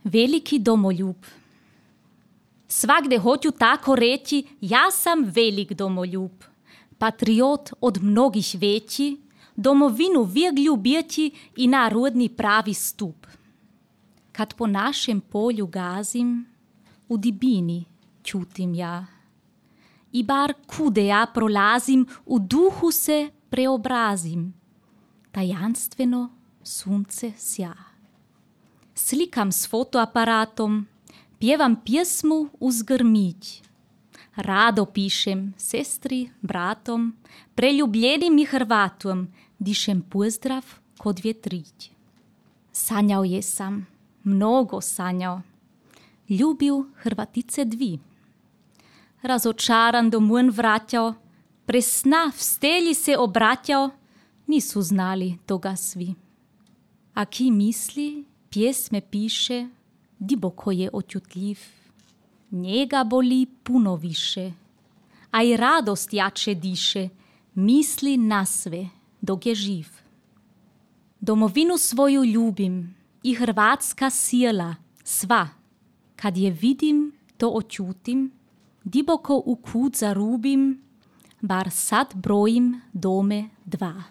Veliki domoljub. Svagde hoću tako reći, ja sam velik domoljub. Patriot od mnogih veći, domovinu vijek ljubjeći i narodni pravi stup. Kad po našem polju gazim, u dibini čutim ja. I bar kude ja prolazim, u duhu se preobrazim. Tajanstveno sunce sja. Slikam s fotoaparatom, pjevam pjesmu uz grmić. Rado pišem sestri, bratom, preljubljenim i Hrvatom, dišem pozdrav kod vjetrić. Sanjao jesam, mnogo sanjao, ljubil Hrvatice dvi. Razočaran domov vraćao, pre sna v stelji se obraćao, nisu znali toga svi. A ki misli, pjesme piše, diboko je očutljiv. Njega boli puno više, a i radost jače diše, misli na sve dok je živ. Domovinu svoju ljubim i hrvatska sjela, sva. Kad je vidim, to očutim, diboko u kut zarubim, bar sad brojim dome dva.